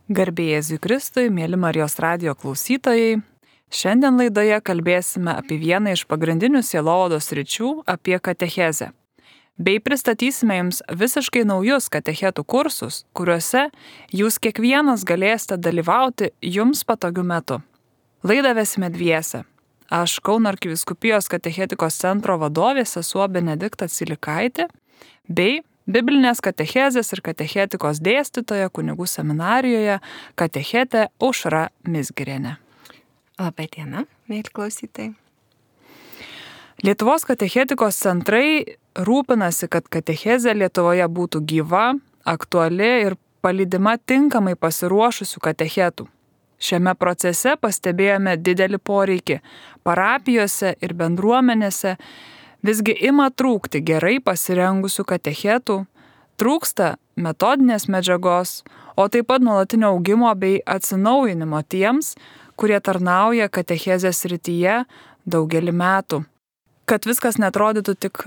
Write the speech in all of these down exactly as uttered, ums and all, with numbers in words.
Garbė Jėzui Kristui, mėly Marijos radijo klausytojai. Šiandien laidoje kalbėsime apie vieną iš pagrindinių sielovados sričių - apie katechezę. Bei pristatysime jums visiškai naujus katechetų kursus, kuriuose jūs kiekvienas galėsite dalyvauti jums patogiu metu. Laidą vesime dviese. Aš Kauno arkivyskupijos katechetikos centro vadovė sesuo Benedikta Cilikaitė bei Biblinės katechezės ir katechetikos dėstytoja kunigų seminarijoje katechetė Aušra Mizgirienė. Labą dieną, mėly klausytojai. Lietuvos katechetikos centrai rūpinasi, kad katechezė Lietuvoje būtų gyva, aktuali ir palydima tinkamai pasiruošusių katechetų. Šiame procese pastebėjome didelį poreikį parapijose ir bendruomenėse. Visgi ima trūkti gerai pasirengusių katechetų, trūksta metodinės medžiagos, o taip pat nuolatinio augimo bei atsinaujinimo tiems, kurie tarnauja katechezės srityje daugelį metų. Kad viskas netrodytų tik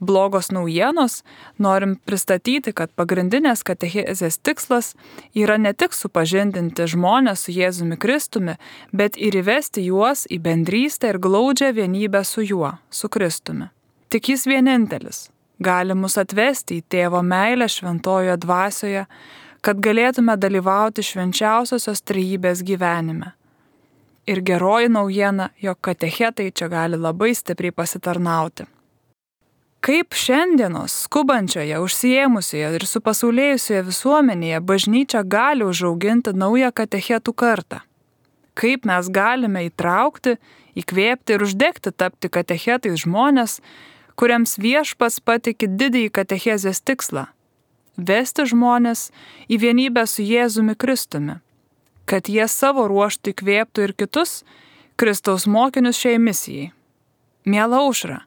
blogos naujienos, norim pristatyti, kad pagrindinės katechezės tikslas yra ne tik supažindinti žmones su Jėzumi Kristumi, bet ir įvesti juos į bendrystę ir glaudžią vienybę su juo, su Kristumi. Tik jis vienintelis gali mus atvesti į tėvo meilę šventojoje dvasioje, kad galėtume dalyvauti švenčiausiosios trejybės gyvenime. Ir geroji naujiena, jog katechetai čia gali labai stipriai pasitarnauti. Kaip šiandienos skubančioje, užsiėmusioje ir supasaulėjusioje visuomenėje bažnyčia gali užauginti naują katechetų kartą? Kaip mes galime įtraukti, įkvėpti ir uždegti tapti katechetais žmonės, kuriems viešpats patiki didįjį katechezės tikslą - vesti žmonės į vienybę su Jėzumi Kristumi, kad jie savo ruožtu įkvėptų ir kitus Kristaus mokinius šiai misijai. Miela Aušra,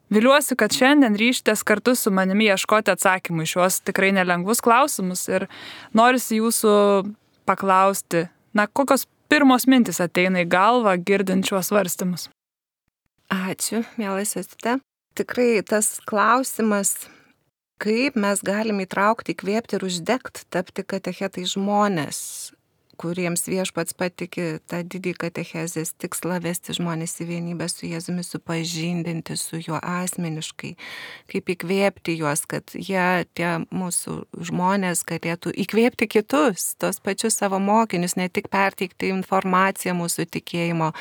viliuosi, kad šiandien ryžtės kartu su manimi ieškoti atsakymų į šiuos tikrai nelengvus klausimus ir norisi jūsų paklausti, na, kokios pirmos mintis ateina į galvą girdint šiuos svarstymus. Ačiū, miela sesute. Tikrai tas klausimas, kaip mes galim įtraukti, įkvėpti ir uždegti, tapti katechetai žmonės, kuriems viešpats patiki tą didį katechezės tikslą vesti žmonės į vienybę su Jėzumi, supažindinti su juo asmeniškai, kaip įkvėpti juos, kad jie, tie mūsų žmonės, galėtų įkvėpti kitus, tos pačius savo mokinius, ne tik perteikti informaciją mūsų tikėjimo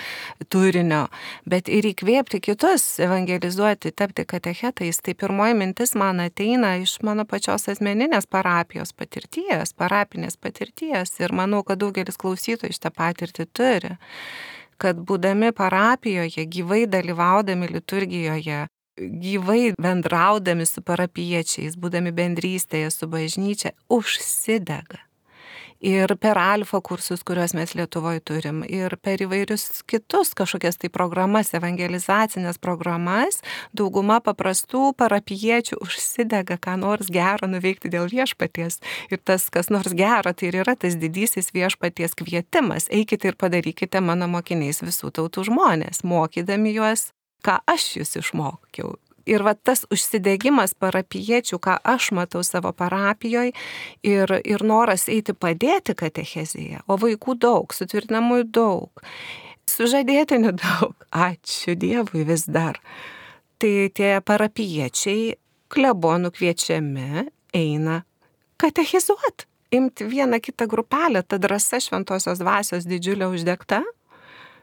turinio, bet ir įkvėpti kitus, evangelizuoti, tapti katechetais. Tai pirmoji mintis man ateina iš mano pačios asmeninės parapijos patirties, parapinės patirties ir manau, kad daugelis klausytojų šitą patirtį turi, kad būdami parapijoje, gyvai dalyvaudami liturgijoje, gyvai bendraudami su parapiečiais, būdami bendrystėje su bažnyčia, užsidega. Ir per alfa kursus, kuriuos mes Lietuvoje turim, ir per įvairius kitus kažkokias tai programas, evangelizacinės programas, dauguma paprastų parapiečių užsidega, ką nors gero nuveikti dėl viešpaties. Ir tas, kas nors gero, tai ir yra tas didysis viešpaties kvietimas. Eikite ir padarykite mano mokiniais visų tautų žmonės, mokydami juos, ką aš jūs išmokiau. Ir va tas užsidegimas parapiečių, ką aš matau savo parapijoje, ir, ir noras eiti padėti katechezėje, o vaikų daug, sutvirtinamųjų daug, sužadėtinių daug, ačiū Dievui vis dar. Tai tie parapiečiai klebonų kviečiami eina katechizuoti, imti vieną kitą grupelę, ta drąsa šventosios dvasios didžiulė uždegta,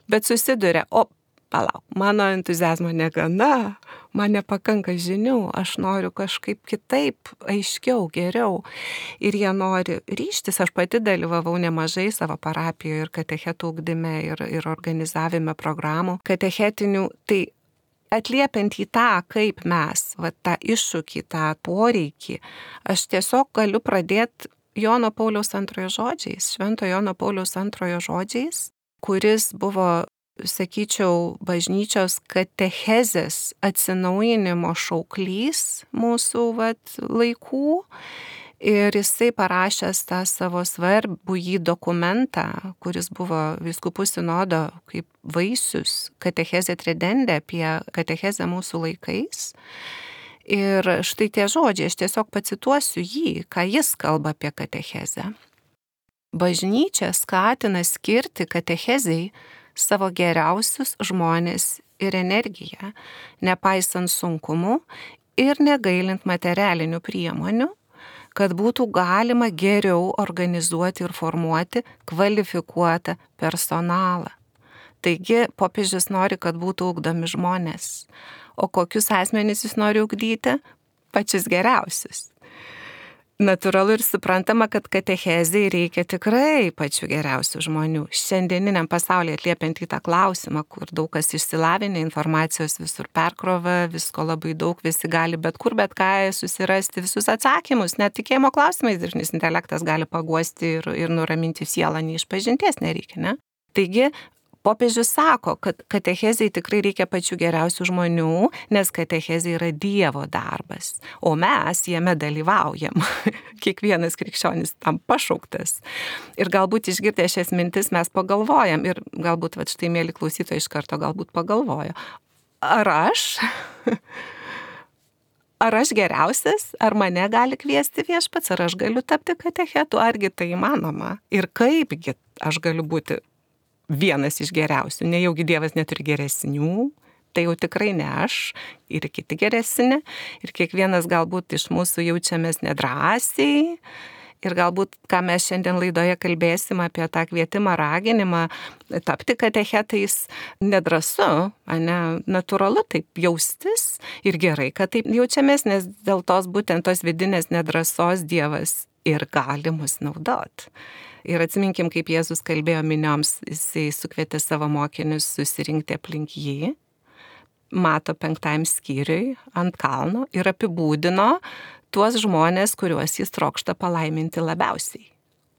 bet susiduria, o palauk, mano entuziazmo negana, man nepakanka žinių, aš noriu kažkaip kitaip, aiškiau, geriau. Ir jie nori ryžtis, aš pati dalyvavau nemažai savo parapijoje ir katechetų ugdyme ir, ir organizavime programų katechetinių. Tai atliepiant į tą, kaip mes, va, tą iššūkį, tą poreikį, aš tiesiog galiu pradėti Jono Pauliaus antrojo žodžiais, Švento Jono Pauliaus antrojo žodžiais, kuris buvo, sakyčiau, bažnyčios katechezės atsinaujinimo šauklys mūsų vat, laikų. Ir jisai parašęs tą savo svarbų jį dokumentą, kuris buvo vyskupų sinodo kaip vaisius, katechezė tridendė apie katechezę mūsų laikais. Ir štai tie žodžiai, aš tiesiog pacituosiu jį, ką jis kalba apie katechezę. Bažnyčia skatina skirti katechezei savo geriausius žmonės ir energiją, nepaisant sunkumų ir negailint materialinių priemonių, kad būtų galima geriau organizuoti ir formuoti kvalifikuotą personalą. Taigi popiežius nori, kad būtų ugdomi žmonės. O kokius asmenys jis nori ugdyti? Pačius geriausius. Natūralu ir suprantama, kad katechezei reikia tikrai pačių geriausių žmonių. Šiandieniniam pasaulyje atliepiant į tą klausimą, kur daug kas išsilavinę, informacijos visur perkrova, visko labai daug, visi gali bet kur, bet ką susirasti visus atsakymus. Net tikėjimo klausimais dirbtinis intelektas gali paguosti ir, ir nuraminti sielą, nei išpažinties nereikia, ne? Taigi, popiežius sako, kad katechezei tikrai reikia pačių geriausių žmonių, nes katechezė yra Dievo darbas, o mes jame dalyvaujam. Kiekvienas krikščionis tam pašauktas. Ir galbūt išgirdę šias mintis mes pagalvojam ir galbūt, va štai, mėly klausytojai, iš karto galbūt pagalvojo, ar aš, ar aš geriausias, ar mane gali kviesti viešpats, ar aš galiu tapti katechetu, argi tai įmanoma ir kaipgi aš galiu būti vienas iš geriausių, nejaugi Dievas neturi geresnių, tai jau tikrai ne aš ir kiti geresni, ir kiekvienas galbūt iš mūsų jaučiamės nedrąsiai, ir galbūt, ką mes šiandien laidoje kalbėsim apie tą kvietimą, raginimą, tapti katechetais nedrąsu, ane, natūralu taip jaustis ir gerai, kad taip jaučiamės, nes dėl tos būtent tos vidinės nedrąsos Dievas ir gali mus naudot. Ir atsiminkim, kaip Jėzus kalbėjo minioms, jisai sukvietė savo mokinius susirinkti aplink jį, Mato penktajam skyriui ant kalno ir apibūdino tuos žmonės, kuriuos jis trokšta palaiminti labiausiai.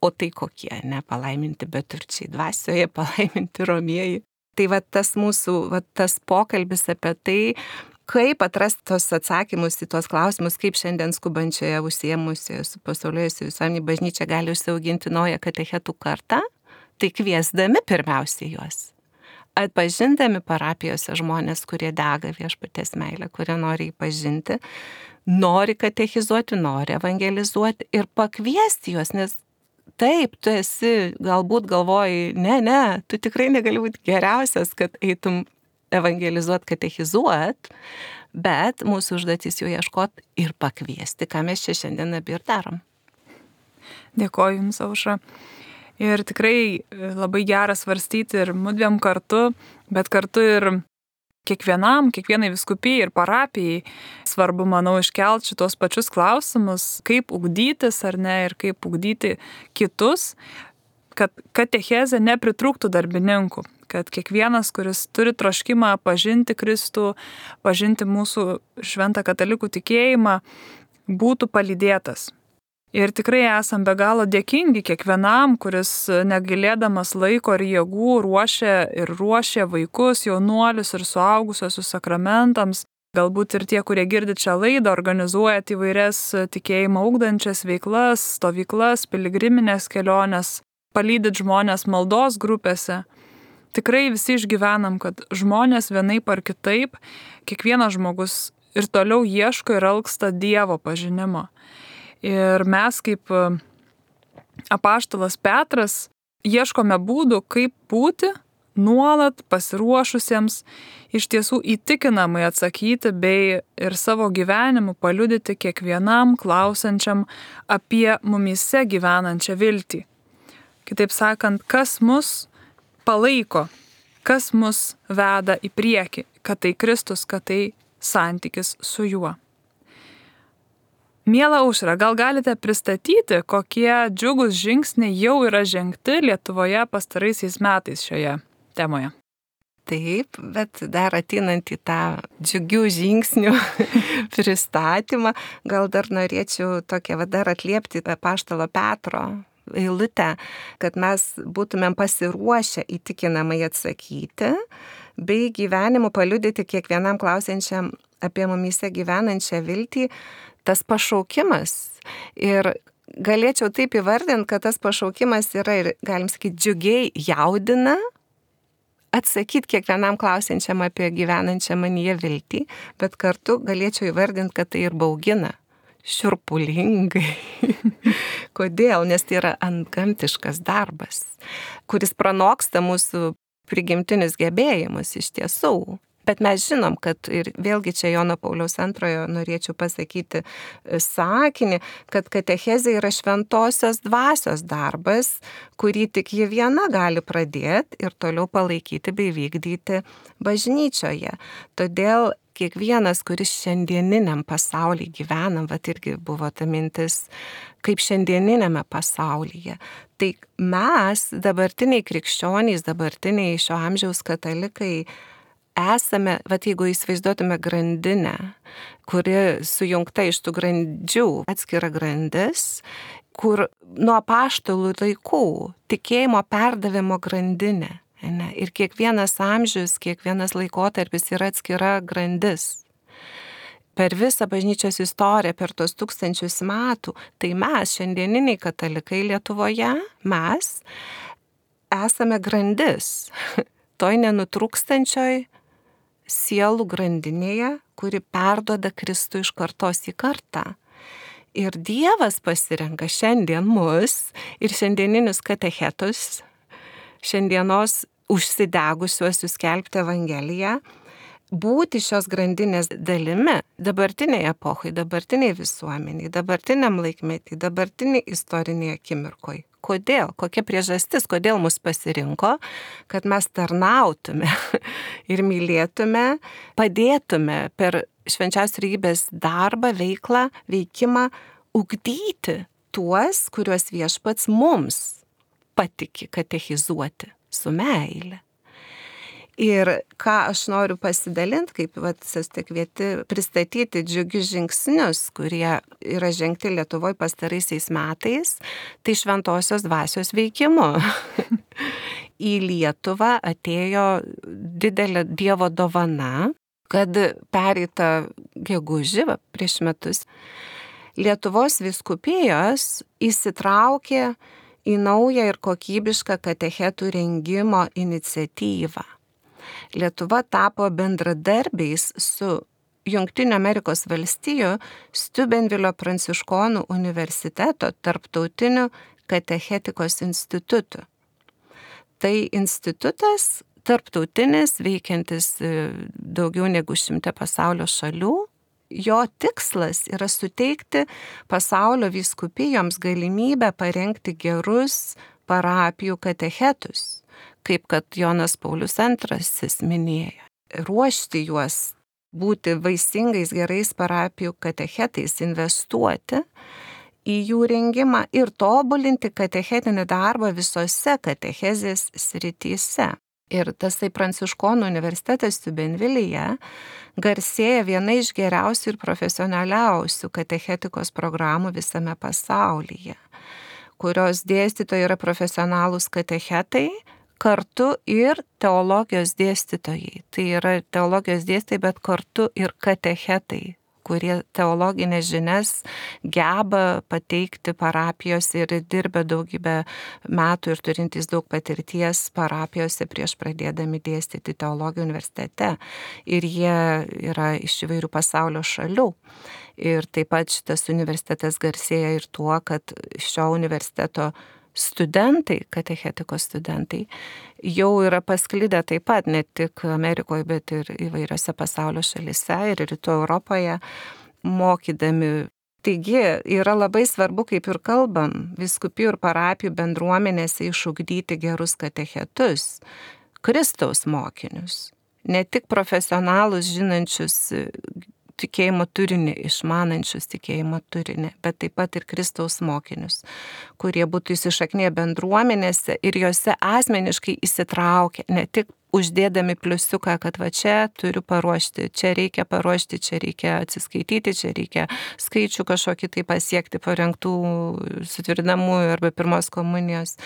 O tai kokie, ne palaiminti beturčiai dvasioje, palaiminti romieji. Tai va tas mūsų, va tas pokalbis apie tai, kaip atrasti tos atsakymus į tuos klausimus, kaip šiandien skubančioje užsiėmusioje su pasaulėjusi visuomenė bažnyčia gali užsiauginti naują katechetų kartą, tai kviesdami pirmiausiai juos. Atpažindami parapijose žmonės, kurie dega viešpaties meilę, kurie nori jį pažinti, nori katechizuoti, nori evangelizuoti ir pakviesti juos, nes taip, tu esi, galbūt galvoji, ne, ne, tu tikrai negali būti geriausias, kad eitum evangelizuot, katechizuot, bet mūsų užduotis jau ieškot ir pakviesti, ką mes čia šiandien abi ir darom. Dėkoju Jums, Aušra. Ir tikrai labai gera svarstyti ir mudviem kartu, bet kartu ir kiekvienam, kiekvienai vyskupijai ir parapijai svarbu, manau, iškelti šitos pačius klausimus, kaip ugdytis ar ne ir kaip ugdyti kitus, kad katechezė nepritrūktų darbininkų, kad kiekvienas, kuris turi troškimą pažinti Kristų, pažinti mūsų šventą katalikų tikėjimą, būtų palydėtas. Ir tikrai esam be galo dėkingi kiekvienam, kuris negailėdamas laiko ir jėgų ruošia ir ruošia vaikus, jaunuolius ir suaugusiosius sakramentams. Galbūt ir tie, kurie girdi čia laidą, organizuojat įvairias tikėjimą ugdančias veiklas, stovyklas, piligriminės keliones, palydit žmonės maldos grupėse. Tikrai visi išgyvenam, kad žmonės vienaip ar kitaip, kiekvienas žmogus ir toliau ieško ir alksta Dievo pažinimo. Ir mes kaip apaštalas Petras ieškome būdų, kaip būti nuolat pasiruošusiems iš tiesų įtikinamai atsakyti bei ir savo gyvenimu paliudyti kiekvienam klausančiam apie mumyse gyvenančią viltį. Kitaip sakant, kas mus palaiko, kas mus veda į priekį, kad tai Kristus, kad tai santykis su juo. Miela Aušra, gal galite pristatyti, kokie džiugūs žingsniai jau yra žengti Lietuvoje pastaraisiais metais šioje temoje? Taip, bet dar ateinant į tą džiugių žingsnių pristatymą, gal dar norėčiau tokią va dar atliepti apaštalo Petro eilutę, kad mes būtumėm pasiruošę įtikinamai atsakyti, bei gyvenimu paliudyti kiekvienam klausiančiam apie mumyse gyvenančią viltį, tas pašaukimas. Ir galėčiau taip įvardinti, kad tas pašaukimas yra ir, galim sakyti, džiugiai jaudina, atsakyti kiekvienam klausiančiam apie gyvenančią manyje viltį, bet kartu galėčiau įvardinti, kad tai ir baugina. šiurpulingai. Kodėl? Nes tai yra antgamtiškas darbas, kuris pranoksta mūsų prigimtinius gebėjimus iš tiesų. Bet mes žinom, kad ir vėlgi čia Jono Pauliaus antrojo norėčiau pasakyti sakinį, kad katechezė yra šventosios dvasios darbas, kurį tik ji viena gali pradėti ir toliau palaikyti bei vykdyti bažnyčioje. Todėl kiekvienas, kuris šiandieniniam pasaulyje gyvenam, vat irgi buvo ta mintis, kaip šiandieninėme pasaulyje. Tai mes, dabartiniai krikščionys, dabartiniai šio amžiaus katalikai, esame, vat jeigu įsivaizduotume grandinę, kuri sujungta iš tų grandžių, atskira grandis, kur nuo apaštalų laikų tikėjimo perdavimo grandinė. Ne? Ir kiekvienas amžius, kiekvienas laikotarpis yra atskira grandis. Per visą bažnyčios istoriją, per tos tūkstančius metų, tai mes, šiandieniniai katalikai Lietuvoje, mes esame grandis. Toj nenutrūkstančioj sielų grandinėje, kuri perduoda Kristų iš kartos į kartą. Ir Dievas pasirenka šiandien mus ir šiandieninius katechetus, šiandienos užsidegusiuosius skelbti Evangeliją, būti šios grandinės dalimi dabartiniai epochai, dabartiniai visuomeniai, dabartiniam laikmetį, dabartiniai istoriniai akimirkoj. Kodėl? Kokia priežastis, kodėl mus pasirinko, kad mes tarnautume ir mylėtume, padėtume per švenčiausios trejybės darbą, veiklą, veikimą ugdyti tuos, kuriuos Viešpats mums patiki katechizuoti su meile. Ir ką aš noriu pasidalinti, kaip esate kvieti pristatyti džiugius žingsnius, kurie yra žengti Lietuvoje pastaraisiais metais, tai šventosios dvasios veikimu. Į Lietuvą atėjo didelė Dievo dovana, kad pereitą gegužį, va, prieš metus, Lietuvos vyskupijos įsitraukė į naują ir kokybišką katechetų rengimo iniciatyvą. Lietuva tapo bendradarbiais su Jungtinių Amerikos valstijų Steubenvilio pranciškonų universiteto tarptautiniu katechetikos institutu. Tai institutas tarptautinis, veikiantis daugiau negu šimte pasaulio šalių. Jo tikslas yra suteikti pasaulio vyskupijoms galimybę parengti gerus parapijų katechetus, kaip kad Jonas Paulius antrasis minėjo. Ruošti juos, būti vaisingais gerais parapijų katechetais, investuoti į jų rengimą ir tobulinti katechetinį darbą visose katechezės srityse. Ir tasai Pranciškonų universitetas Steubenvilyje garsėja viena iš geriausių ir profesionaliausių katechetikos programų visame pasaulyje, kurios dėstytojai yra profesionalūs katechetai, kartu ir teologijos dėstytojai. Tai yra teologijos dėstytojai, bet kartu ir katechetai, kurie teologinės žinias geba pateikti parapijose ir dirbę daugybę metų ir turintys daug patirties parapijose prieš pradėdami dėstyti teologiją universitete. Ir jie yra iš įvairių pasaulio šalių. Ir taip pat šitas universitetas garsėja ir tuo, kad šio universiteto studentai, katechetikos studentai, jau yra pasklidę taip pat ne tik Amerikoje, bet ir įvairiose pasaulio šalyse ir rytų Europoje mokydami. Taigi yra labai svarbu, kaip ir kalbam, vyskupijų ir parapijų bendruomenėse išugdyti gerus katechetus, Kristaus mokinius, ne tik profesionalus žinančius tikėjimo turinį, išmanančius tikėjimo turinį, bet taip pat ir Kristaus mokinius, kurie būtų įsišaknėję bendruomenėse ir juose asmeniškai įsitraukę, ne tik uždėdami pliusiuką, kad va čia turiu paruošti, čia reikia paruošti, čia reikia atsiskaityti, čia reikia skaičių kažkokį tai pasiekti parengtų sutvirtinamųjų arba pirmos komunijos,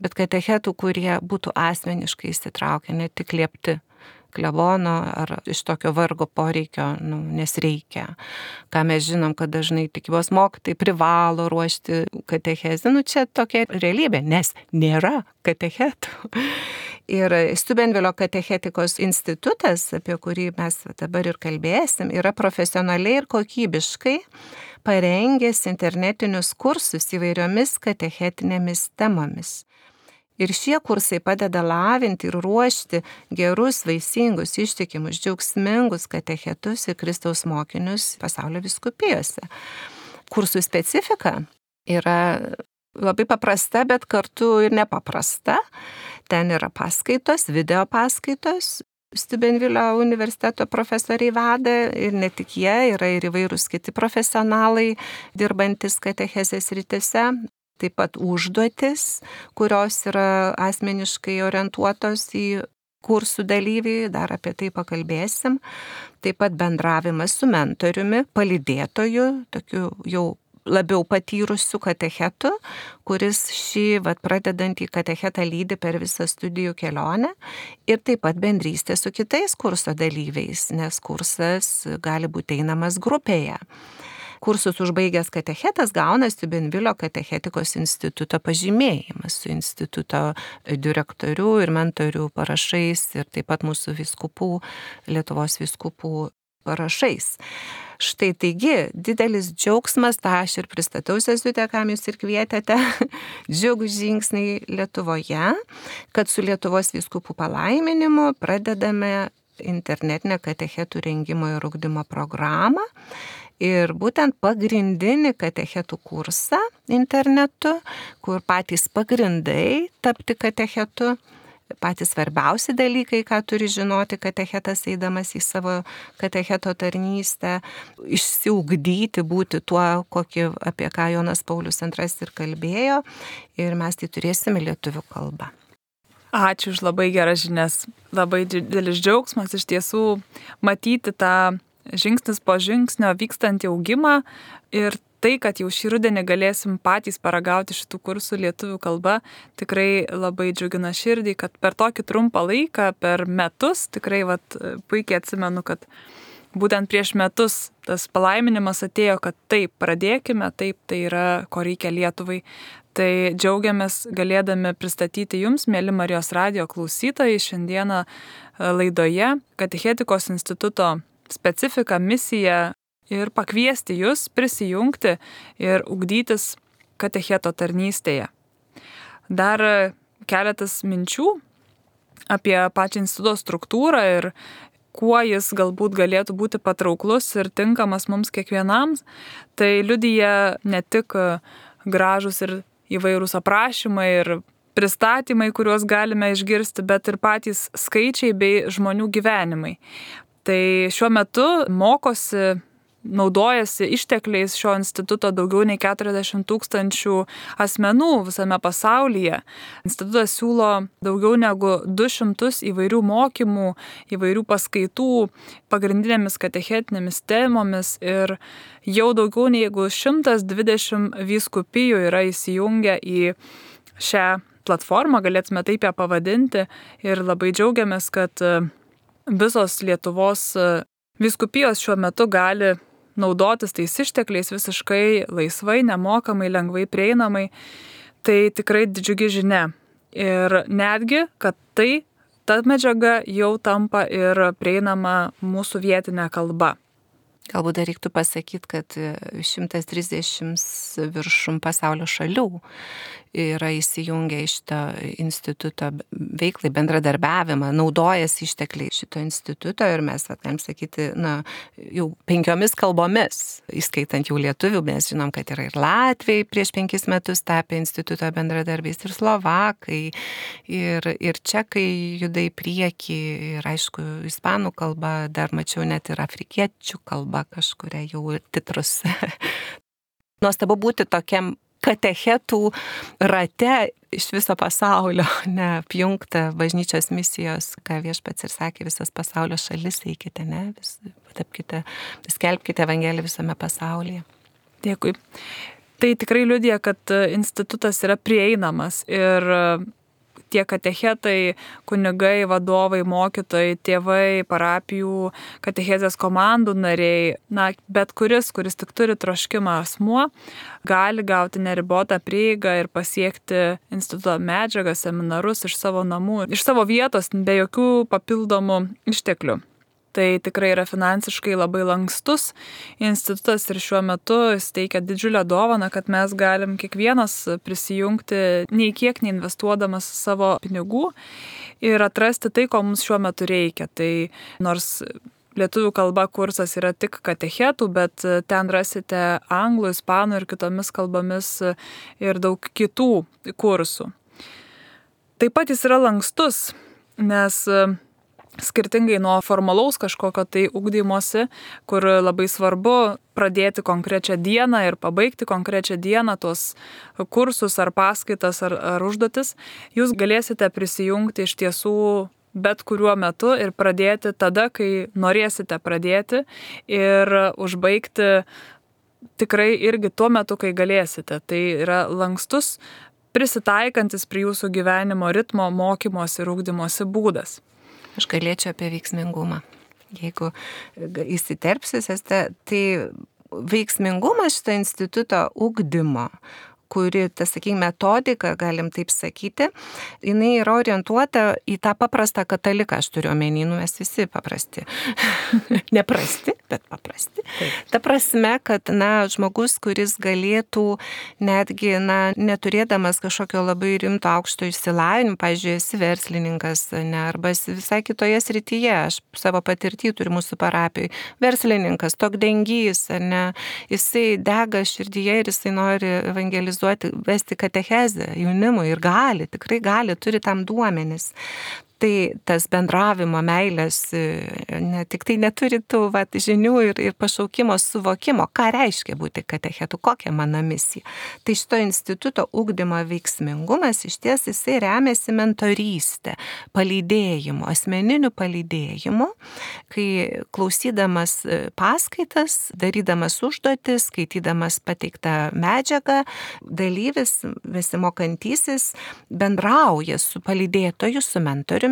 bet katechetų, kurie būtų asmeniškai įsitraukę, ne tik liepti klebono ar iš tokio vargo poreikio, nu, nes reikia. Ką mes žinom, kad dažnai tikybos mokytojai privalo ruošti katechezę. Nu, čia tokia realybė, nes nėra katechetų. Ir Steubenvilio katechetikos institutas, apie kurį mes dabar ir kalbėsim, yra profesionaliai ir kokybiškai parengęs internetinius kursus įvairiomis katechetinėmis temomis. Ir šie kursai padeda lavinti ir ruošti gerus, vaisingus, ištikimus, džiaugsmingus katechetus ir Kristaus mokinius pasaulio vyskupijose. Kursų specifika yra labai paprasta, bet kartu ir nepaprasta. Ten yra paskaitos, video paskaitos. Steubenvilio universiteto profesoriai veda ir ne tik jie, yra ir įvairūs kiti profesionalai dirbantis katechezės rytise. Taip pat užduotis, kurios yra asmeniškai orientuotos į kursų dalyvį, dar apie tai pakalbėsim. Taip pat bendravimas su mentoriumi, palydėtoju, tokiu jau labiau patyrusiu katechetu, kuris šį vat, pradedantį katechetą lydi per visą studijų kelionę. Ir taip pat bendrystė su kitais kurso dalyviais, nes kursas gali būti einamas grupėje. Kursus užbaigęs katechetas gauna Steubenvilio katechetikos instituto pažymėjimą su instituto direktorių ir mentorių parašais ir taip pat mūsų vyskupų, Lietuvos vyskupų parašais. Štai taigi, didelis džiaugsmas, tą aš ir pristatau sesutę, kam jūs ir kvietėte, džiugūs žingsniai Lietuvoje, kad su Lietuvos vyskupų palaiminimu pradedame internetinę katechetų rengimo ir ugdymo programą. Ir būtent pagrindinį katechetų kursą internetu, kur patys pagrindai tapti katechetu, patys svarbiausi dalykai, ką turi žinoti katechetas eidamas į savo katecheto tarnystę, išsiugdyti, būti tuo, kokį, apie ką Jonas Paulius antras ir kalbėjo, ir mes tai turėsime lietuvių kalbą. Ačiū už labai geras žinias. Labai didelis džiaugsmas iš tiesų matyti tą žingsnis po žingsnio vykstantį augimą ir tai, kad jau šį rudenį galėsim patys paragauti šitų kursų lietuvių kalba, tikrai labai džiugina širdį, kad per tokį trumpą laiką, per metus, tikrai vat, puikiai atsimenu, kad būtent prieš metus tas palaiminimas atėjo, kad taip, pradėkime, taip, tai yra, ko reikia Lietuvai. Tai džiaugiamės galėdami pristatyti jums, mėly Marijos radijo klausytojai, šiandieną laidoje Katechetikos instituto specifiką, misiją ir pakviesti jūs prisijungti ir ugdytis katecheto tarnystėje. Dar keletas minčių apie pačią instituto struktūrą ir kuo jis galbūt galėtų būti patrauklus ir tinkamas mums kiekvienam. Tai liudija ne tik gražus ir įvairūs aprašymai ir pristatymai, kuriuos galime išgirsti, bet ir patys skaičiai bei žmonių gyvenimai. Tai šiuo metu mokosi, naudojasi ištekliais šio instituto daugiau nei keturiasdešimt tūkstančių asmenų visame pasaulyje. Institutas siūlo daugiau negu du šimtus įvairių mokymų, įvairių paskaitų pagrindinėmis katechetinėmis temomis ir jau daugiau negu šimtas dvidešimt vyskupijų yra įsijungę į šią platformą, galėtume taip ją pavadinti, ir labai džiaugiamės, kad visos Lietuvos vyskupijos šiuo metu gali naudotis tais ištekliais visiškai laisvai, nemokamai, lengvai prieinamai. Tai tikrai didžiugi žinia. Ir netgi, kad tai, ta medžiaga jau tampa ir prieinama mūsų vietinė kalba. Galbūt dar reiktų pasakyti, kad šimtas trisdešimt viršum pasaulio šalių yra įsijungę iš šito instituto veiklai, bendradarbiavimą, naudojasi ištekliai šito instituto ir mes, va, galim sakyti, na, jau penkiomis kalbomis, įskaitant jau lietuvių, mes žinom, kad yra ir latviai prieš penkis metus tapę instituto bendradarbiais, ir slovakai, ir, ir čekai juda į priekį, ir aišku, ispanų kalba, dar mačiau net ir afrikiečių kalba kažkuria jau titrus. Nuostabu būti tokiam katechetų rate iš viso pasaulio, ne apjungta bažnyčios misijos, ką viešpats ir sakė, visas pasaulio šalis eikite, ne, vis, tapkite, skelbkite Evangeliją visame pasaulyje. Dėkui. Tai tikrai liudija, kad institutas yra prieinamas ir tie katechetai, kunigai, vadovai, mokytojai, tėvai, parapijų, katechezės komandų nariai, na, bet kuris, kuris tik turi troškimą asmuo, gali gauti neribotą prieigą ir pasiekti instituto medžiagą, seminarus iš savo namų, iš savo vietos, be jokių papildomų išteklių. Tai tikrai yra finansiškai labai lankstus institutas ir šiuo metu jis teikia didžiulę dovaną, kad mes galim kiekvienas prisijungti nei kiek neinvestuodamas savo pinigų ir atrasti tai, ko mums šiuo metu reikia. Tai nors lietuvių kalba kursas yra tik katechetų, bet ten rasite anglų, ispanų ir kitomis kalbomis ir daug kitų kursų. Taip pat jis yra lankstus, nes skirtingai nuo formalaus kažkokio tai ugdymosi, kur labai svarbu pradėti konkrečią dieną ir pabaigti konkrečią dieną tuos kursus ar paskaitas ar, ar užduotis, jūs galėsite prisijungti iš tiesų bet kuriuo metu ir pradėti tada, kai norėsite pradėti ir užbaigti tikrai irgi tuo metu, kai galėsite. Tai yra lankstus, prisitaikantis prie jūsų gyvenimo ritmo, mokymosi ir ugdymosi būdas. Aš galėčiau apie veiksmingumą. Jeigu įsiterpsis, tai veiksmingumas šito instituto ugdymo, kuri, tas, sakykime, metodika, galim taip sakyti, jinai yra orientuota į tą paprastą kataliką, aš turiu omeny, nu mes visi paprasti. Neprasti, bet paprasti. Taip. Ta prasme, kad, na, žmogus, kuris galėtų netgi, na, neturėdamas kažkokio labai rimto aukšto išsilavinimo, pavyzdžiui, esi verslininkas, ne, arba visai kitoje srityje, aš savo patirtį turiu mūsų parapijai, verslininkas, tokdengys, ne, jisai dega širdyje ir jisai nori evangelizuoti, vesti katechezę jaunimui ir gali, tikrai gali, turi tam duomenis. Tai tas bendravimo meilės, ne, tik tai neturi tų vat, žinių ir, ir pašaukimo suvokimo, ką reiškia būti katechetu, kokia mano misija. Tai šito instituto ugdymo veiksmingumas iš ties jisai remiasi mentorystė, palydėjimu, asmeniniu palydėjimu, kai klausydamas paskaitas, darydamas užduotis, skaitydamas pateiktą medžiagą, dalyvis, besimokantysis bendrauja su palydėtoju, su mentoriumi,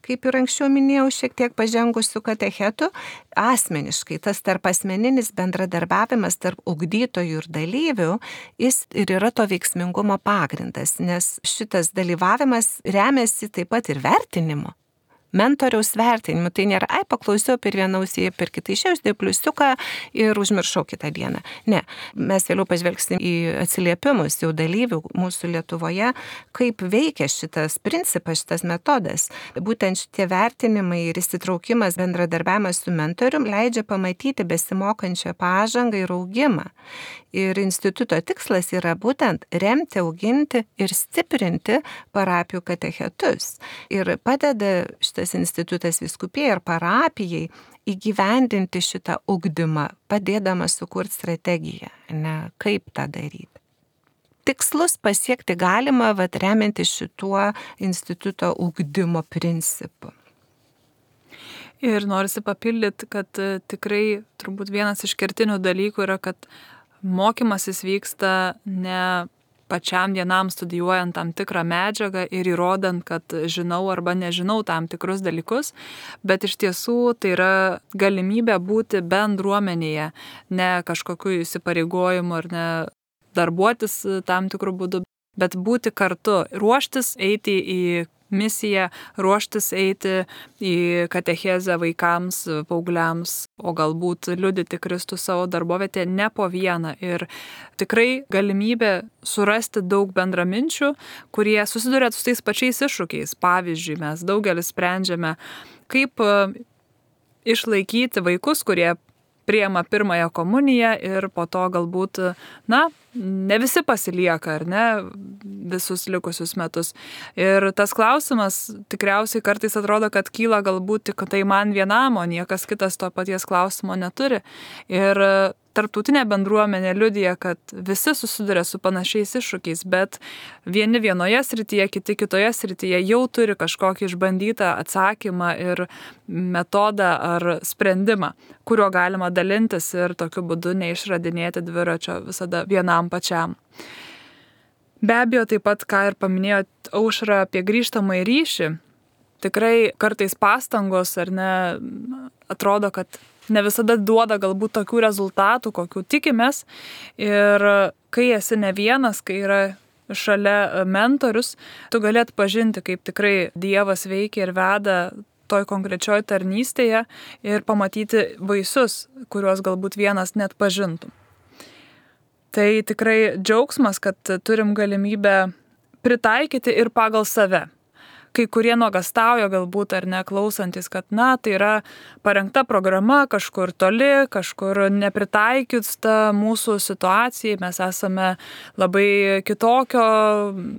kaip ir anksčiau minėjau, šiek tiek pažengusių katechetų, asmeniškai tas tarp asmeninis bendradarbiavimas tarp ugdytojų ir dalyvių, jis ir yra to veiksmingumo pagrindas, nes šitas dalyvavimas remiasi taip pat ir vertinimu. Mentoriaus vertinimu, tai nėra, ai, paklausiau per vieną ausį, per kitą išėjus, tai pliusiuką ir užmiršau kitą dieną. Ne, mes vėliau pažvelgsim į atsiliepimus jau dalyvių mūsų Lietuvoje, kaip veikia šitas principas, šitas metodas. Būtent šitie vertinimai ir įsitraukimas, bendradarbiavimas su mentorium leidžia pamatyti besimokančią pažangą ir augimą. Ir instituto tikslas yra būtent remti, auginti ir stiprinti parapijų katechetus. Ir padeda šitas institutas vyskupijai ir parapijai įgyvendinti šitą ugdymą, padėdamas sukurti strategiją, ne, kaip tą daryti. Tikslus pasiekti galima, vat, remiantis šituo instituto ugdymo principu. Ir norisi papildyti, kad tikrai turbūt vienas iš kertinių dalykų yra, kad mokymasis vyksta ne pačiam vienam studijuojant tam tikrą medžiagą ir įrodant, kad žinau arba nežinau tam tikrus dalykus, bet iš tiesų tai yra galimybė būti bendruomenėje, ne kažkokiu įsipareigojimu ar ne darbuotis tam tikrų būdų, bet būti kartu, ruoštis eiti į misiją, ruoštis eiti į katechezę vaikams, paaugliams, o galbūt liudyti Kristų savo darbovietėje ne po vieną. Ir tikrai galimybė surasti daug bendraminčių, kurie susiduria su tais pačiais iššūkiais. Pavyzdžiui, mes daugelis sprendžiame, kaip išlaikyti vaikus, kurie priima pirmąją komuniją ir po to galbūt, na, ne visi pasilieka, ar ne, visus likusius metus. Ir tas klausimas tikriausiai kartais atrodo, kad kyla galbūt tik tai man vienam, o niekas kitas to paties klausimo neturi. Ir tarptautinė bendruomenė liudija, kad visi susiduria su panašiais iššūkiais, bet vieni vienoje srityje, kiti kitoje srityje jau turi kažkokį išbandytą atsakymą ir metodą ar sprendimą, kuriuo galima dalintis ir tokiu būdu neišradinėti dviračio visada vienam pačiam. Be abejo, taip pat, ką ir paminėjot Aušra apie grįžtamąjį ryšį, tikrai kartais pastangos ar ne, atrodo, kad ne visada duoda galbūt tokių rezultatų, kokių tikimės. Ir kai esi ne vienas, kai yra šalia mentorius, tu gali atpažinti, kaip tikrai Dievas veikia ir veda toj konkrečioj tarnystėje ir pamatyti vaisius, kuriuos galbūt vienas net pažintų. Tai tikrai džiaugsmas, kad turim galimybę pritaikyti ir pagal save. Kai kurie nuogastauja galbūt ar ne klausantis, kad na, tai yra parengta programa kažkur toli, kažkur nepritaikius ta mūsų situacijai, mes esame labai kitokio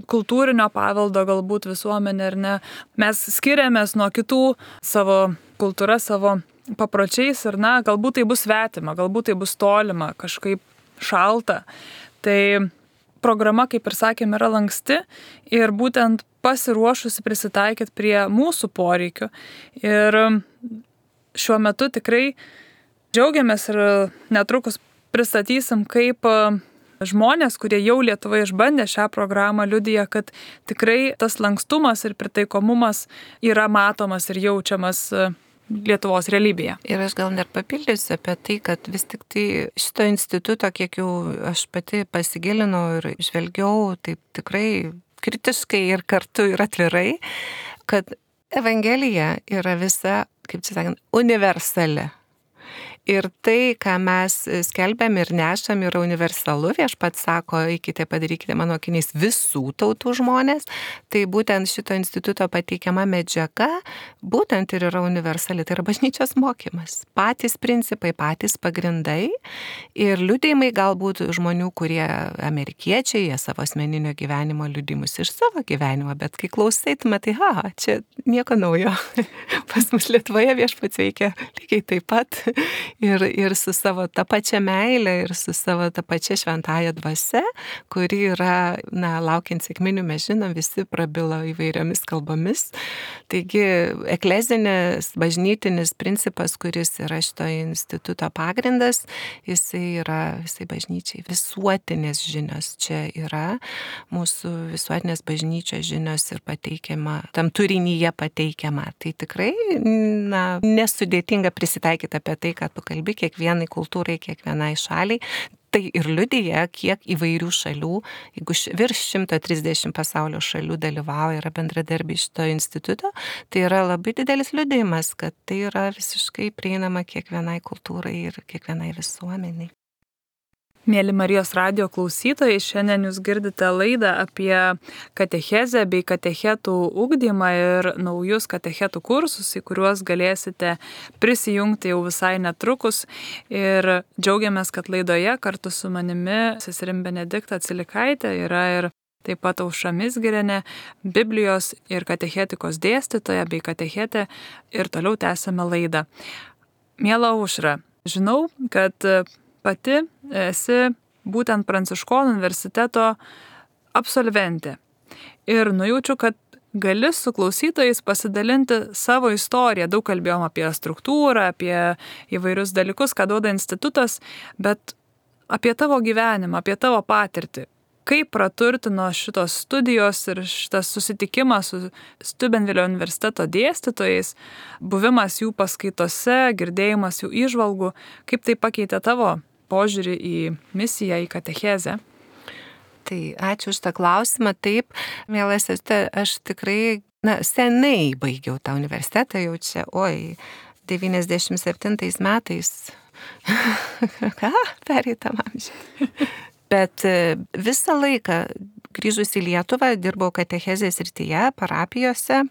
kultūrinio paveldo galbūt visuomenė ar ne. Mes skiriamės nuo kitų savo kultūra, savo papročiais ir na, galbūt tai bus svetima, galbūt tai bus tolima, kažkaip šalta. Tai programa, kaip ir sakėm, yra lanksti ir būtent pasiruošusi prisitaikyti prie mūsų poreikių. Ir šiuo metu tikrai džiaugiamės ir netrukus pristatysim, kaip žmonės, kurie jau Lietuvoje išbandė šią programą, liudija, kad tikrai tas lankstumas ir pritaikomumas yra matomas ir jaučiamas Lietuvos realybėje. Ir aš gal net papildysiu apie tai, kad vis tik tai šito instituto, kiek jau aš pati pasigilinau ir žvelgiau taip tikrai kritiškai ir kartu ir atvirai, kad Evangelija yra visa, kaip čia sakant, universali. Ir tai, ką mes skelbiam ir nešam, yra universalu. Viešpats sako, eikite, padarykite mano akiniais visų tautų žmonės. Tai būtent šito instituto pateikiama medžiaga, būtent ir yra universali. Tai yra bažnyčios mokymas. Patys principai, patys pagrindai. Ir liudijimai galbūt žmonių, kurie amerikiečiai, jie savo asmeninio gyvenimo liudijimus iš savo gyvenimo. Bet kai klausai, tu matai, ha, čia nieko naujo. Pas mus Lietuvoje viešpats veikia lygiai taip pat. Ir, ir su savo tą pačią meilę, ir su savo tą pačią šventąją dvasia, kuri yra, na, laukiant sekminių, mes žinom, visi prabilo įvairiomis kalbomis. Taigi, eklezinis, bažnytinis principas, kuris yra šito instituto pagrindas, jisai yra visai bažnyčiai. Visuotinės žinios čia yra, mūsų visuotinės bažnyčios žinios ir pateikiama, tam turinyje pateikiama. Tai tikrai, na, nesudėtinga prisitaikyti apie tai, kad tu kalbi kiekvienai kultūrai, kiekvienai šaliai. Tai ir liudija, kiek įvairių šalių, jeigu virš šimtas trisdešimt pasaulio šalių dalyvauja, yra bendradarbiai šito instituto, tai yra labai didelis liudijimas, kad tai yra visiškai prieinama kiekvienai kultūrai ir kiekvienai visuomeniai. Mėly Marijos radijo klausytojai, šiandien jūs girdite laidą apie katechezę bei katechetų ugdymą ir naujus katechetų kursus, į kuriuos galėsite prisijungti jau visai netrukus. Ir džiaugiamės, kad laidoje kartu su manimi seserim Benedikta Atsilikaitė yra ir taip pat Aušra Mizgirienė, Biblijos ir katechetikos dėstytoja bei katechetė, ir toliau tęsime laidą. Miela Aušra, žinau, kad pati esi būtent Pranciškonų universiteto absolventė. Ir nujaučiu, kad gali su klausytojais pasidalinti savo istoriją. Daug kalbėjom apie struktūrą, apie įvairius dalykus, ką duoda institutas, bet apie tavo gyvenimą, apie tavo patirtį. Kaip praturtino šitos studijos ir šitas susitikimas su Steubenvilio universiteto dėstytojais, buvimas jų paskaitose, girdėjimas jų įžvalgų, kaip tai pakeitė tavo požiūrį į misiją, į katechezę? Tai ačiū už tą klausimą. Taip, mielas, aš tikrai, na, senai baigiau tą universitetą, jau čia, oi, devyniasdešimt septintais metais. Ką? Pereitam amžiui. Bet visą laiką grįžus į Lietuvą dirbau katechezės srityje, parapijose,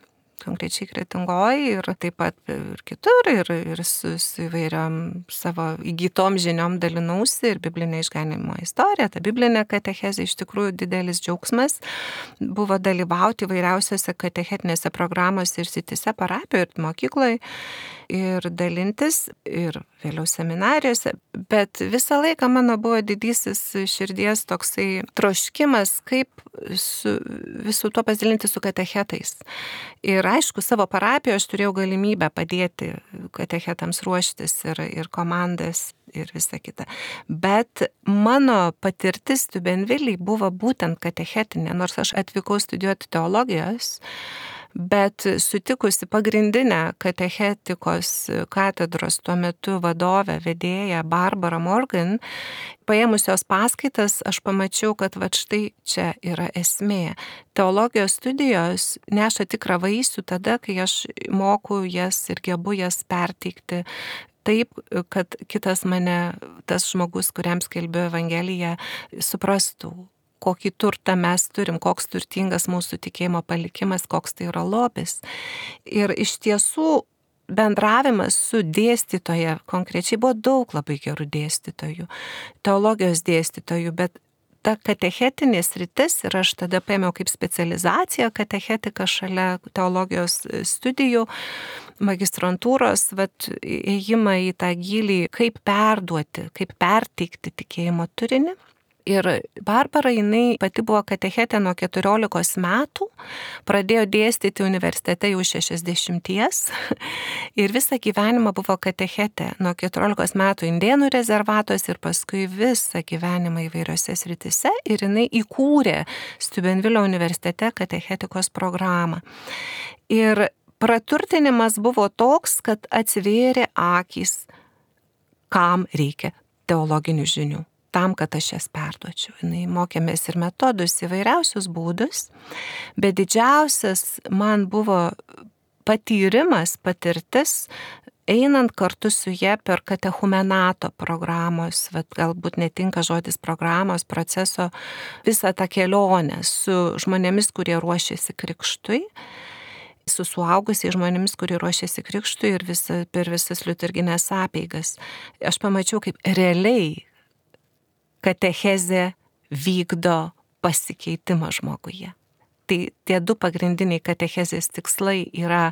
konkrečiai Kretingoj ir taip pat ir kitur, ir, ir su, su įvairiom savo įgytom žiniom dalinausi ir biblinė išganimo istorija. Ta biblinė katechezė iš tikrųjų didelis džiaugsmas buvo dalyvauti įvairiausiose katechetinėse programose ir srityse, parapijoje ir mokykloje ir dalintis ir vėliau seminarijose, bet visą laiką mano buvo didysis širdies toksai troškimas, kaip su visų tuo pasidalinti su katechetais. Ir aišku, savo parapijoje aš turėjau galimybę padėti katechetams ruoštis ir, ir komandas ir visa kita. Bet mano patirtis Steubenvillėj buvo būtent katechetinė, nors aš atvykau studijuoti teologijos, bet sutikusi pagrindinę katechetikos katedros tuo metu vadovę, vedėją Barbarą Morgan, paėmusios paskaitas, aš pamačiau, kad va štai čia yra esmė. Teologijos studijos neša tikrą vaisių tada, kai aš moku jas ir gebu jas perteikti taip, kad kitas mane, tas žmogus, kuriam skelbiu Evangeliją, suprastų, kokį turtą mes turim, koks turtingas mūsų tikėjimo palikimas, koks tai yra lobis. Ir iš tiesų bendravimas su dėstytoja, konkrečiai buvo daug labai gerų dėstytojų, teologijos dėstytojų, bet ta katechetinė sritis, ir aš tada paėmiau kaip specializaciją katechetiką šalia teologijos studijų, magistrantūros, vat, ėjimą į tą gilį, kaip perduoti, kaip perteikti tikėjimo turinį. Ir Barbara, jinai pati buvo katechetė nuo keturiolikos metų, pradėjo dėstyti universitete jau šešiasdešimties ir visą gyvenimą buvo katechetė nuo keturiolikos metų Indėnų rezervatos ir paskui visą gyvenimą įvairiose sritise ir jinai įkūrė Steubenvillio universitete katechetikos programą. Ir praturtinimas buvo toks, kad atsivėrė akys, kam reikia teologinių žinių. Tam, kad aš jas perduočiau. Jinai mokėmės ir metodus, įvairiausius būdus, bet didžiausias man buvo patyrimas, patirtis, einant kartu su ja per katechumenato programos, vat, galbūt netinka žodis programos, proceso, visą tą kelionę su žmonėmis, kurie ruošėsi krikštui, su suaugusiais žmonėmis, kurie ruošėsi krikštui ir visa, per visas liturginės apeigas. Aš pamačiau, kaip realiai katechezė vykdo pasikeitimą žmoguje. Tai tie du pagrindiniai katechezės tikslai yra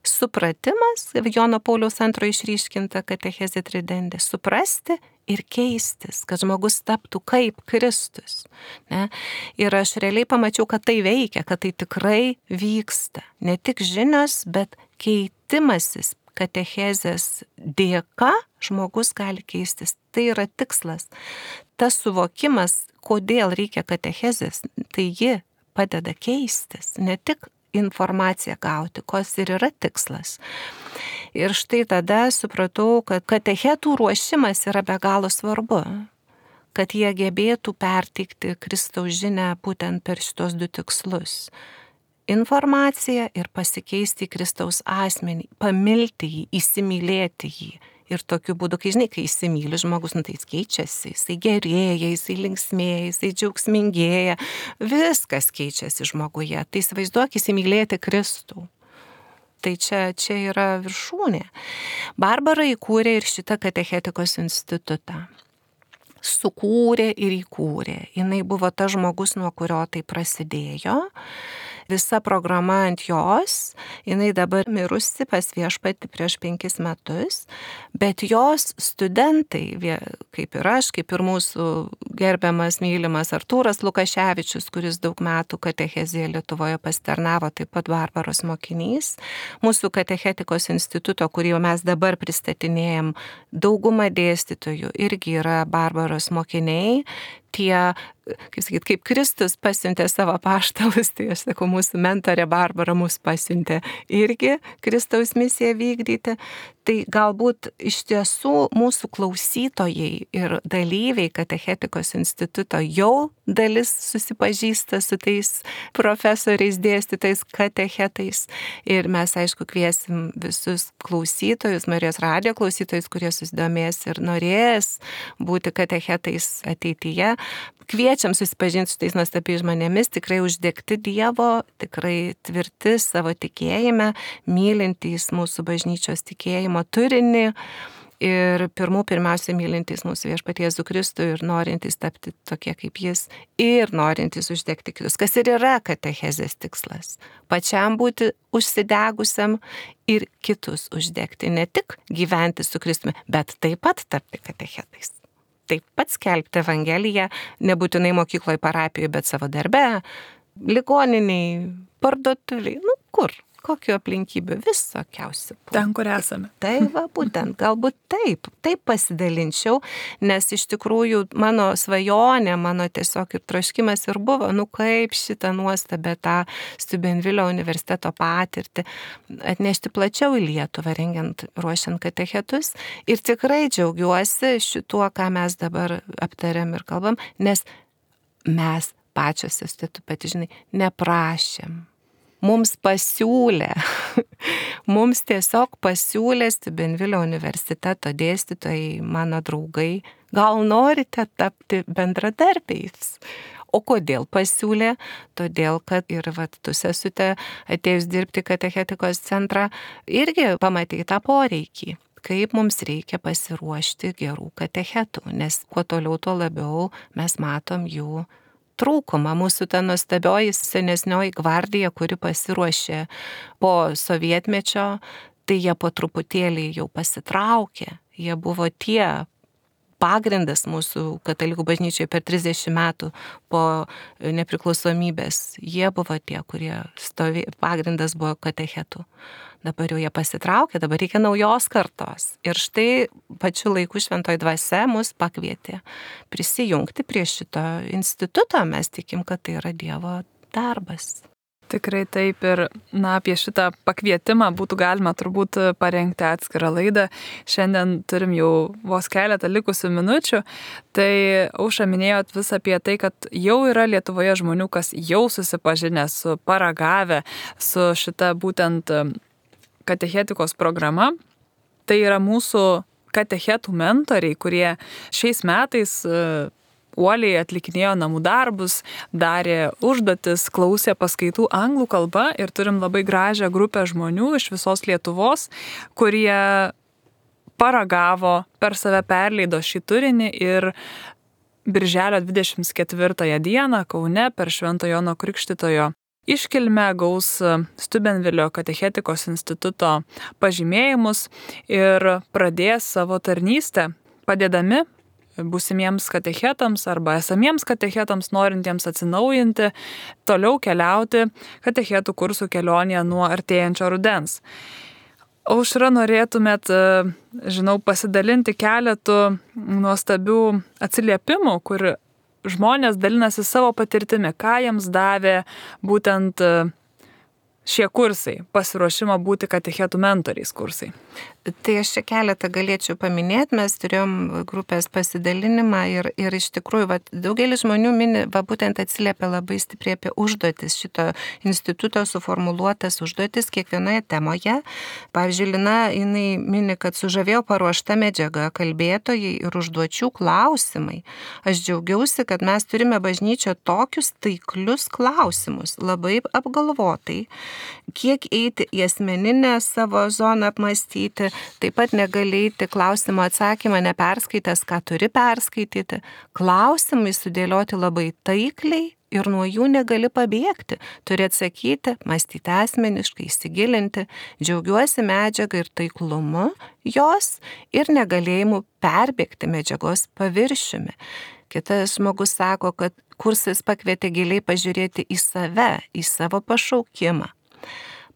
supratimas, Jono Pauliaus antrojo išryškinta katechezė tridentė, suprasti ir keistis, kad žmogus taptų kaip Kristus. Ne? Ir aš realiai pamačiau, kad tai veikia, kad tai tikrai vyksta. Ne tik žinios, bet keitimasis katechezės dėka žmogus gali keistis. Tai yra tikslas. Tas suvokimas, kodėl reikia katechezės, tai ji padeda keistis, ne tik informaciją gauti, kos ir yra tikslas. Ir štai tada supratau, kad katechetų ruošimas yra be galo svarbu, kad jie gebėtų perteikti Kristaus žinią būtent per šitos du tikslus. Informaciją ir pasikeisti į Kristaus asmenį, pamilti jį, įsimylėti jį. Ir tokiu būdu, kai žinai, kai įsimyli žmogus, nu, tai jis keičiasi, jisai gerėja, jisai linksmėja, jisai džiaugsmingėja, viskas keičiasi žmoguje. Tai įsivaizduok įsimylėti Kristų. Tai čia, čia yra viršūnė. Barbara įkūrė ir šitą katechetikos institutą. Sukūrė ir įkūrė. Jinai buvo tas žmogus, nuo kurio tai prasidėjo. Visa programa ant jos, jinai dabar mirusi pas viešpatį prieš penkis metus, bet jos studentai, kaip ir aš, kaip ir mūsų gerbiamas, mylimas Artūras Lukaševičius, kuris daug metų katechezėje Lietuvoje pasitarnavo, taip pat Barbaros mokinys, mūsų katechetikos instituto, kurį jau mes dabar pristatinėjom, dauguma dėstytojų irgi yra Barbaros mokiniai. Tie, kaip sakyt, kaip Kristus pasiuntė savo apaštalus, tai aš sakau, mūsų mentorė Barbara mus pasiuntė irgi Kristaus misiją vykdyti. Tai galbūt iš tiesų mūsų klausytojai ir dalyviai katechetikos instituto jau dalis susipažįsta su tais profesoriais, dėstytais, katechetais. Ir mes, aišku, kviesim visus klausytojus, Marijos radijo klausytojus, kurie susidomės ir norės būti katechetais ateityje. Kviečiam susipažinti su tais nuostabiais žmonėmis, tikrai uždegti Dievo, tikrai tvirti savo tikėjime, mylintys mūsų bažnyčios tikėjimo turinį ir pirmų pirmiausia mylintys mūsų viešpatį Jėzų Kristų ir norintys tapti tokie kaip jis ir norintys uždegti kitus, kas ir yra katechezės tikslas. Pačiam būti užsidegusiam ir kitus uždegti, ne tik gyventi su Kristumi, bet taip pat tapti katechetais. Taip pat skelbti Evangeliją, nebūtinai mokykloje, parapijoje, bet savo darbe, ligoniniai, parduotuviai, nu kur, kokių aplinkybių, visokiausių. Ten, kur esame. Tai va, būtent, galbūt taip, taip pasidalinčiau, nes iš tikrųjų mano svajonė, mano tiesiog ir troškimas ir buvo, nu kaip šitą nuostabę tą Steubenvilio universiteto patirtį atnešti plačiau į Lietuvą, rengiant, ruošiant katechetus. Ir tikrai džiaugiuosi šituo, ką mes dabar aptariam ir kalbam, nes mes pačios, tu pati žinai, neprašėm. Mums pasiūlė, mums tiesiog pasiūlė Steubenvilio universiteto dėstytojai, mano draugai, gal norite tapti bendradarbiais. O kodėl pasiūlė? Todėl, kad ir vat, tu sesute atėjus dirbti katechetikos centrą, irgi pamatei tą poreikį, kaip mums reikia pasiruošti gerų katechetų, nes kuo toliau, tuo labiau mes matom jų trūkumą. Mūsų ta nuostabioji senesnioji gvardija, kuri pasiruošė po sovietmečio, tai jie po truputėlį jau pasitraukė. Jie buvo tie pagrindas mūsų katalikų bažnyčioje per trisdešimt metų po nepriklausomybės. Jie buvo tie, kurie stovė, pagrindas buvo katechetų. Dabar jau jie pasitraukė, dabar reikia naujos kartos. Ir štai pačiu laiku šventoji dvasia mus pakvietė prisijungti prie šito instituto. Mes tikim, kad tai yra Dievo darbas. Tikrai taip ir, na, apie šitą pakvietimą būtų galima turbūt parengti atskirą laidą. Šiandien turim jau vos keletą likusių minučių. Tai Aušra minėjot vis apie tai, kad jau yra Lietuvoje žmonių, kas jau susipažinę su paragavę, su šita būtent katechetikos programa. Tai yra mūsų katechetų mentoriai, kurie šiais metais uoliai atlikinėjo namų darbus, darė užduotis, klausė paskaitų anglų kalba ir turim labai gražią grupę žmonių iš visos Lietuvos, kurie paragavo, per save perleido šį turinį ir birželio dvidešimt ketvirtąją dieną Kaune per Švento Jono Krikštytojo iškilmę gaus Steubenvilio katechetikos instituto pažymėjimus ir pradės savo tarnystę, padėdami būsimiems katechetams arba esamiems katechetams norintiems atsinaujinti, toliau keliauti katechetų kursų kelionėje nuo artėjančio rudens. Aušra, norėtumėt, žinau, pasidalinti keletų nuostabių atsiliepimų, kur žmonės dalinasi savo patirtimi, ką jiems davė būtent šie kursai, pasiruošimo būti katechetų mentoriais kursai. Tai aš čia keletą galėčiau paminėti, mes turėjom grupės pasidalinimą ir, ir iš tikrųjų va, daugelis žmonių mini, va, būtent atsiliepia labai stipriai apie užduotis, šito instituto suformuluotas užduotis kiekvienoje temoje. Pavyzdžiui, Lina, jinai mini, kad sužavėjo paruošta medžiaga, kalbėtojai ir užduočių klausimai. Aš džiaugiausi, kad mes turime bažnyčio tokius taiklius klausimus, labai apgalvotai, kiek eiti į asmeninę savo zoną apmastyti. Taip pat negali eiti klausimo atsakymą neperskaitęs, ką turi perskaityti. Klausimai sudėlioti labai taikliai ir nuo jų negali pabėgti. Turi atsakyti, mąstyti asmeniškai, įsigilinti. Džiaugiuosi medžiagą ir taiklumu jos ir negalėjimu perbėgti medžiagos paviršiumi. Kitas žmogus sako, kad kursas pakvietė giliai pažiūrėti į save, į savo pašaukimą.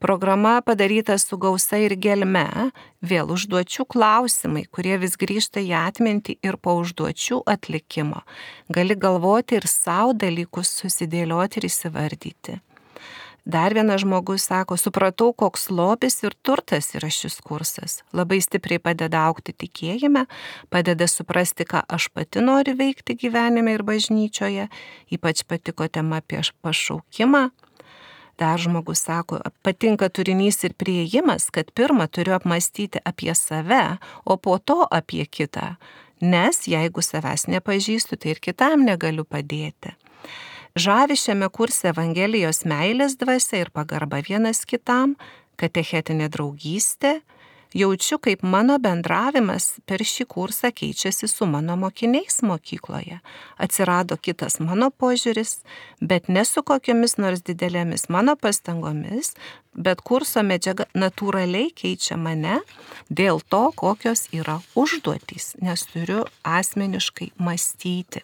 Programa padaryta su gausa ir gelme, vėl užduočių klausimai, kurie vis grįžta į atmintį ir po užduočių atlikimo. Gali galvoti ir savo dalykus susidėlioti ir įsivardyti. Dar vienas žmogus sako, supratau, koks lobis ir turtas yra šis kursas. Labai stipriai padeda augti tikėjime, padeda suprasti, ką aš pati noriu veikti gyvenime ir bažnyčioje. Ypač patiko tema apie pašaukimą. Dar žmogus sako, patinka turinys ir priėjimas, kad pirmą turiu apmastyti apie save, o po to apie kitą. Nes jeigu savęs nepažįstu, tai ir kitam negaliu padėti. Žavi šiame kurse Evangelijos meilės dvasia ir pagarba vienas kitam, katechetinė draugystė. Jaučiu, kaip mano bendravimas per šį kursą keičiasi su mano mokiniais mokykloje. Atsirado kitas mano požiūris, bet ne su kokiamis nors didelėmis mano pastangomis, bet kurso medžiaga natūraliai keičia mane dėl to, kokios yra užduotys, nes turiu asmeniškai mąstyti.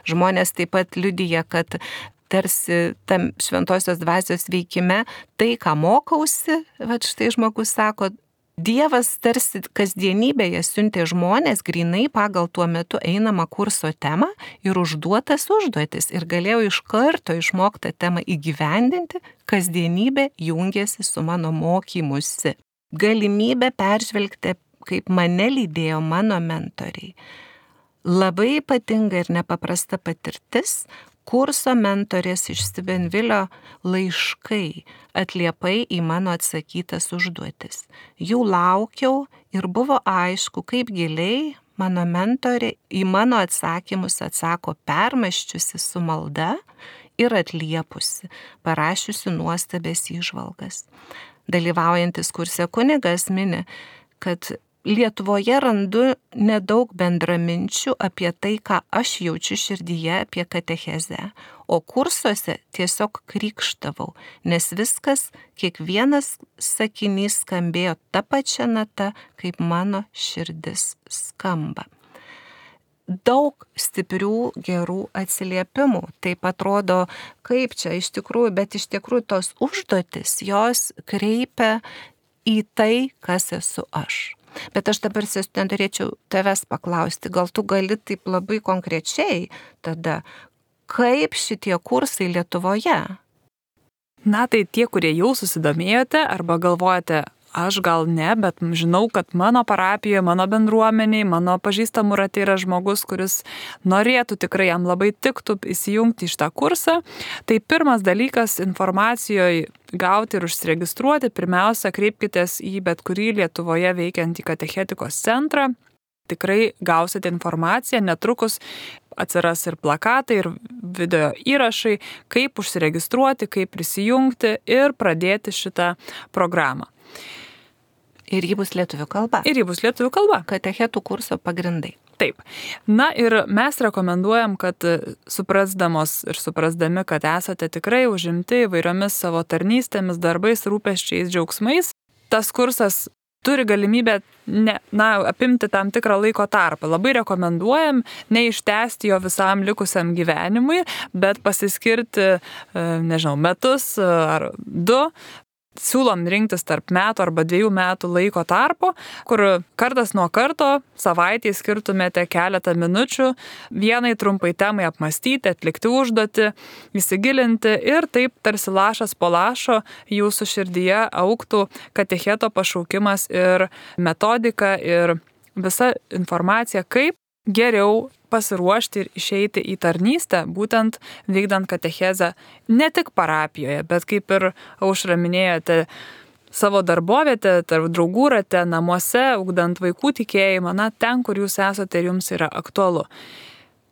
Žmonės taip pat liudija, kad tarsi tam šventosios dvasios veikime, tai, ką mokausi, va štai žmogus sako, Dievas tarsi kasdienybėje siuntė žmonės grinai pagal tuo metu einamą kurso temą ir užduotas užduotis ir galėjau iš karto išmoktą temą įgyvendinti, kasdienybė jungėsi su mano mokymusi. Galimybė peržvelgti, kaip mane lydėjo mano mentoriai. Labai ypatinga ir nepaprasta patirtis, kurso mentorės iš Steubenvilio laiškai, atliepai į mano atsakytas užduotis. Jų laukiau ir buvo aišku, kaip giliai mano mentorė į mano atsakymus atsako permąsčiusi su malda ir atliepusi, parašiusi nuostabės įžvalgas. Dalyvaujantis kurse kunigas mini, kad Lietuvoje randu nedaug bendraminčių apie tai, ką aš jaučiu širdyje apie katechezę, o kursuose tiesiog krykštavau, nes viskas, kiekvienas sakinys skambėjo ta pačia nata, kaip mano širdis skamba. Daug stiprių, gerų atsiliepimų. Taip atrodo, kaip čia iš tikrųjų, bet iš tikrųjų tos užduotis, jos kreipia į tai, kas esu aš. Bet aš dabar norėčiau tavęs paklausti, gal tu gali taip labai konkrečiai tada, kaip šitie kursai Lietuvoje? Na tai tie, kurie jau susidomėjote arba galvojate, aš gal ne, bet žinau, kad mano parapijoje, mano bendruomeniai, mano pažįstamų rate yra žmogus, kuris norėtų tikrai, jam labai tiktų įsijungti į šitą kursą. Tai pirmas dalykas informacijoje gauti ir užsiregistruoti, pirmiausia, kreipkitės į bet kurį Lietuvoje veikiantį katechetikos centrą. Tikrai gausite informaciją, netrukus atsiras ir plakatai, ir video įrašai, kaip užsiregistruoti, kaip prisijungti ir pradėti šitą programą. Ir ji bus lietuvių kalba. Ir ji bus lietuvių kalba. Katechetų kurso pagrindai. Taip. Na ir mes rekomenduojam, kad suprasdamos ir suprasdami, kad esate tikrai užimti įvairiomis savo tarnystėmis, darbais, rūpesčiais, džiaugsmais, tas kursas turi galimybę ne, na, apimti tam tikrą laiko tarpą. Labai rekomenduojam neištęsti jo visam likusiam gyvenimui, bet pasiskirti, nežinau, metus ar du. Siūlom rinktis tarp metų arba dviejų metų laiko tarpo, kur kartas nuo karto savaitėje skirtumėte keletą minučių vienai trumpai temai apmastyti, atlikti užduotį, įsigilinti ir taip tarsi lašas po lašo jūsų širdyje augtų katecheto pašaukimas ir metodika ir visa informacija, kaip geriau pasiruošti ir išeiti į tarnystę, būtent vykdant katechezę ne tik parapijoje, bet kaip ir Aušra minėjote, savo darbovietę, tarp draugų rate, namuose, ugdant vaikų tikėjimą, na, ten, kur jūs esate ir jums yra aktualu.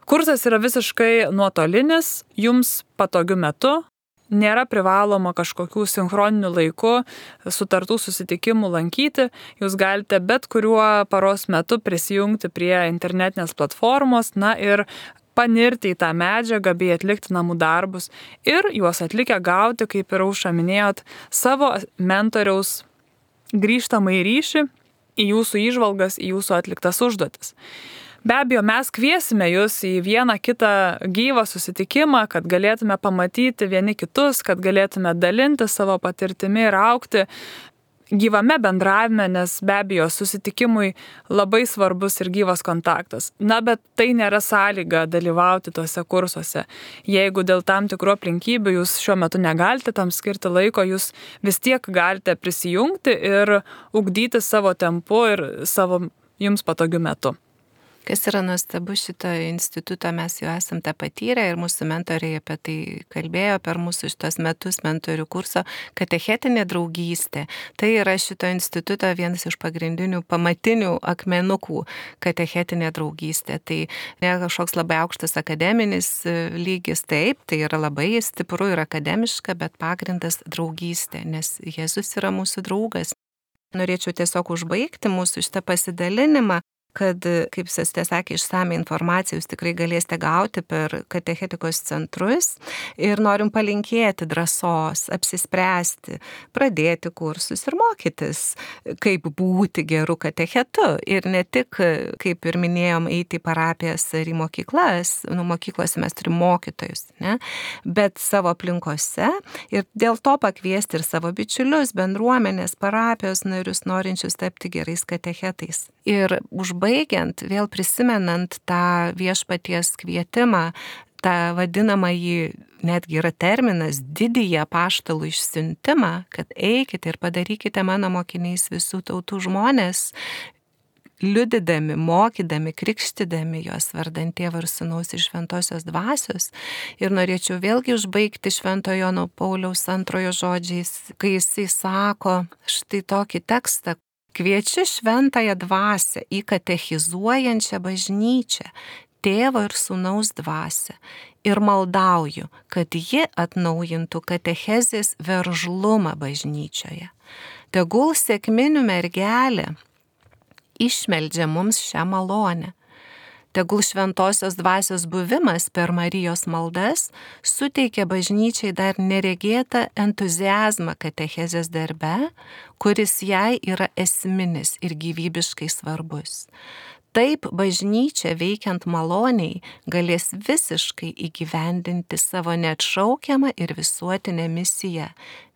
Kursas yra visiškai nuotolinis, jums patogiu metu. Nėra privaloma kažkokių sinchroninių laikų sutartų susitikimų lankyti. Jūs galite bet kuriuo paros metu prisijungti prie internetinės platformos, na ir panirti į tą medžiagą bei atlikti namų darbus ir juos atlikę gauti, kaip ir Aušra minėjot, savo mentoriaus grįžtamąjį ryšį į jūsų įžvalgas, į jūsų atliktas užduotis. Be abejo, mes kviesime jūs į vieną kitą gyvą susitikimą, kad galėtume pamatyti vieni kitus, kad galėtume dalinti savo patirtimi ir aukti gyvame bendravime, nes be abejo susitikimui labai svarbus ir gyvas kontaktas. Na, bet tai nėra sąlyga dalyvauti tuose kursuose. Jeigu dėl tam tikrų aplinkybių jūs šiuo metu negalite tam skirti laiko, jūs vis tiek galite prisijungti ir ugdyti savo tempu ir savo jums patogiu metu. Kas yra nuostabu šito instituto, mes jau esam tą patyrę ir mūsų mentoriai apie tai kalbėjo per mūsų šitos metus mentorių kurso katechetinė draugystė. Tai yra šito instituto vienas iš pagrindinių pamatinių akmenukų katechetinė draugystė. Tai ne kažkoks labai aukštas akademinis lygis, taip, tai yra labai stipru ir akademiška, bet pagrindas draugystė, nes Jėzus yra mūsų draugas. Norėčiau tiesiog užbaigti mūsų šitą pasidalinimą kad, kaip sestė sakė, išsame informaciją jūs tikrai galėsite gauti per katechetikos centrus ir norim palinkėti drąsos, apsispręsti, pradėti kursus ir mokytis, kaip būti geru katechetu. Ir ne tik, kaip ir minėjom, eiti į parapijas ar į mokyklas, nu, mokyklose mes turim mokytojus, ne? Bet savo aplinkose ir dėl to pakviesti ir savo bičiulius, bendruomenės, parapijos narius, norinčius tapti gerais katechetais. Ir užbaigiant, vėl prisimenant tą viešpaties kvietimą, tą vadinamąjį, netgi yra terminas, didįjį apaštalų išsiuntimą, kad eikite ir padarykite mano mokiniais visų tautų žmonės, liudydami, mokydami, krikštydami juos vardant Tėvo ir Sūnaus ir Šventosios Dvasios. Ir norėčiau vėlgi užbaigti Švento Jono Pauliaus antrojo žodžiais, kai jisai sako štai tokį tekstą: kviečiu šventąją dvasią į katechizuojančią bažnyčią, Tėvo ir Sūnaus dvasią, ir maldauju, kad ji atnaujintų katechezės veržlumą bažnyčioje. Tegul sekminių mergelė išmeldžia mums šią malonę. Tegul šventosios dvasios buvimas per Marijos maldas suteikia bažnyčiai dar neregėtą entuziazmą katechezės darbe, kuris jai yra esminis ir gyvybiškai svarbus. Taip bažnyčia veikiant maloniai galės visiškai įgyvendinti savo neatšaukiamą ir visuotinę misiją,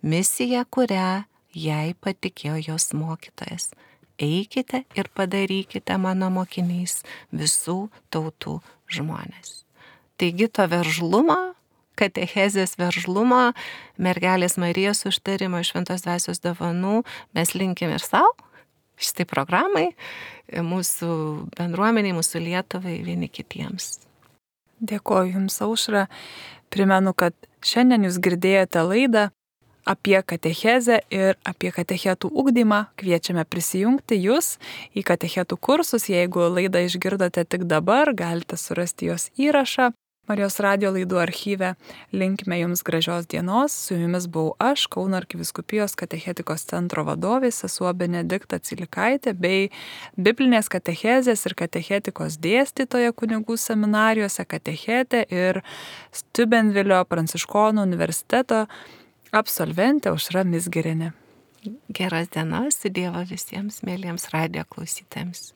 misiją, kurią jai patikėjo jos mokytojas. Eikite ir padarykite mano mokiniais visų tautų žmonės. Taigi to veržlumo, katechezės veržlumo, mergelės Marijos užtarimo, šventos dvasios dovanų mes linkim ir savo, šitai programai, mūsų bendruomeniai, mūsų Lietuvai, vieni kitiems. Dėkoju Jums, Aušra. Primenu, kad šiandien Jūs girdėjote laidą apie katechezę ir apie katechetų ugdymą. Kviečiame prisijungti Jūs į katechetų kursus. Jeigu laidą išgirdote tik dabar, galite surasti jos įrašą Marijos radijo laidų archyve. Linkime Jums gražios dienos. Su Jumis buvau aš, Kauno arkivyskupijos katechetikos centro vadovė, sesuo Benedikta Cilikaitė, bei biblinės katechezės ir katechetikos dėstytoja kunigų seminarijose, katechetė ir Steubenvilio pranciškonų universiteto absolventė Aušra Mizgirienė. Geros dienos, su Dievo visiems mėlyjams radijo klausytojams.